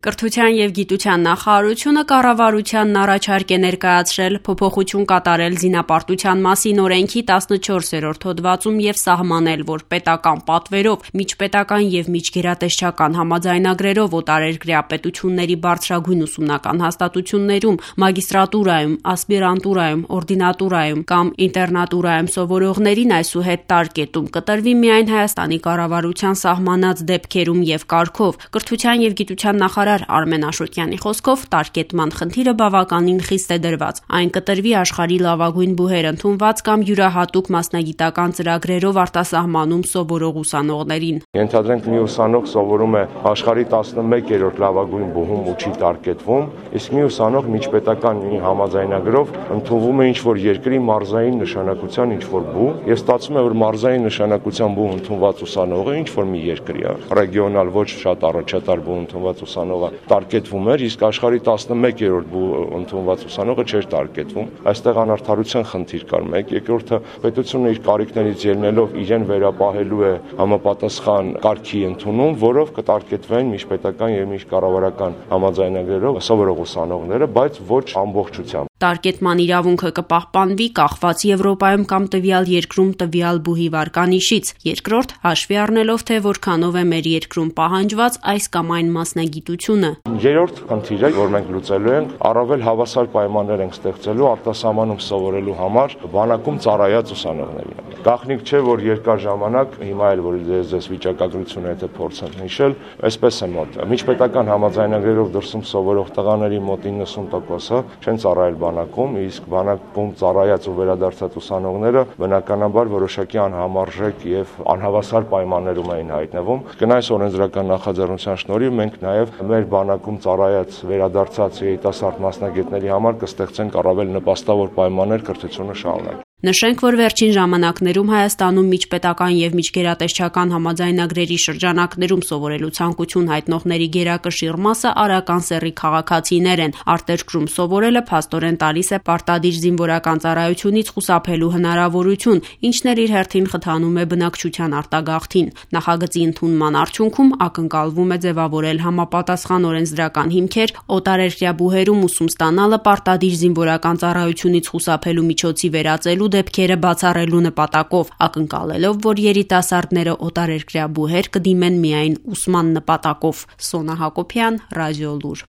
Կրթության և գիտության նախարարությունը կառավարությանն առաջարկ է ներկայացրել փոփոխություն կատարել զինապարտության մասին օրենքի 14-րդ հոդվածում և սահմանել, որ պետական պատվերով, միջպետական և միջգերատեսչական համաձայնագրերով օտարերկրյա պետությունների բարձրագույն ուսումնական հաստատություններում, մագիստրատուրայում, ասպիրանտուրայում, օրդինատուրայում կամ ինտերնատուրայում սովորողներին այսուհետ տարկետում կտրվի միայն Հայաստանի կառավարության սահմանած դեպքերում և կարգով։ Կրթության և գիտության նախարար Արմեն Աշոտյանի խոսքով տարկետման խնդիրը բավականին խիստ է դրված։ Այն կտրվի աշխարհի լավագույն բուհեր ընդունված կամ յուրահատուկ մասնագիտական ծրագրերով արտասահմանում սովորող ուսանողներին։ Ենթադրենք մի ուսանող սովորում է աշխարհի 11-րդ լավագույն բուհում ու չի տարկետվում, իսկ մի ուսանող միջպետական մի համաձայնագրով ընդունվում է ինչ-որ երկրի մարզային նշանակության ինչ-որ բուհ, եւ ստացվում է, որ մարզային նշանակության բուհ ընդունված ուսանողը ինչ-որ մի երկրի է, ռեգիոնալ ոչ շատ առաջատար բուհ ընդունված ուսանողը տարկետվում էր, իսկ աշխարհի 11-րդ բուհ ընդունված ուսանողը չէր տարկետվում։ Այստեղ անարդարության խնդիր կար մեկ, երկրորդը պետությունը իր կարիքներից ելնելով իրեն վերապահելու է համապատասխան կարգի ընդունում, որով կտարկետվեն միջպետական եւ միջկառավարական համաձայնագրերով սովորող ուսանողները, բայց ոչ ամբողջությամբ։ Տարկետման իրավունքը կպահպանվի կախված Եվրոպայում կամ տվյալ երկրում տվյալ բուհի վարկանիշից։ Երկրորդ, հաշվի առնելով, թե որքանով է մեր երկրում պահանջված այս կամ այն մասնագիտությունը։ Երրորդ խնդիրը, որ մենք լուծելու ենք, առավել հավասար պայմաններ ենք ստեղծելու արտասահմանում սովորելու համար բանակում ծառայած ուսանողներին։ Գաղտնիք չէ, որ երկար ժամանակ, հիմա էլ որ ձեզ վիճակագրությունը եթե փորձեմ հիշել, այսպես է մոտ։ Միջպետական համաձայնագրերով դրսում սովորող տղաների մոտ 90%-ը չեն ծառայել բանակում, իսկ բանակում ծառայած ու վերադարձած ուսանողները բնականաբար որոշակի անհամարժեք եւ անհավասար պայմաններում էին հայտնվում։ Կնայած օրենսդրական նախաձեռնության շնորհիվ մենք նաեւ մեր բանակում ծառայած վերադարձած երիտասարդ մասնագետների համար կստեղծենք առավել նպաստավոր պայմաններ կրթությունը շարունակել։ Նշենք, որ վերջին ժամանակներում Հայաստանում միջպետական եւ միջգերատեսչական համաձայնագրերի շրջանակներում սովորելու ցանկություն հայտնողների գերակշիռ մասը արական սեռի քաղաքացիներ են։ Արտերկրում սովորելը փաստորեն տալիս է պարտադիր զինվորական ծառայությունից խուսափելու հնարավորություն, ինչն էլ իր հերթին խթանում է բնակչության արտագաղթին։ Նախագծի ընդունման արդյունքում ակնկալվում է ձևավորել համապատասխան օրենսդրական հիմքեր օտարերկրյա բուհերում ուսում ստանալը պարտադիր զինվորական ծառայությունից խուսափելու միջոցի վերածելու դեպքերը բացառելու նպատակով, ակնկալելով, որ երիտասարդները օտարերկրյա բուհեր կդիմեն միայն ուսման նպատակով։ Սոնա Հակոբյան, Ռադիոլուր։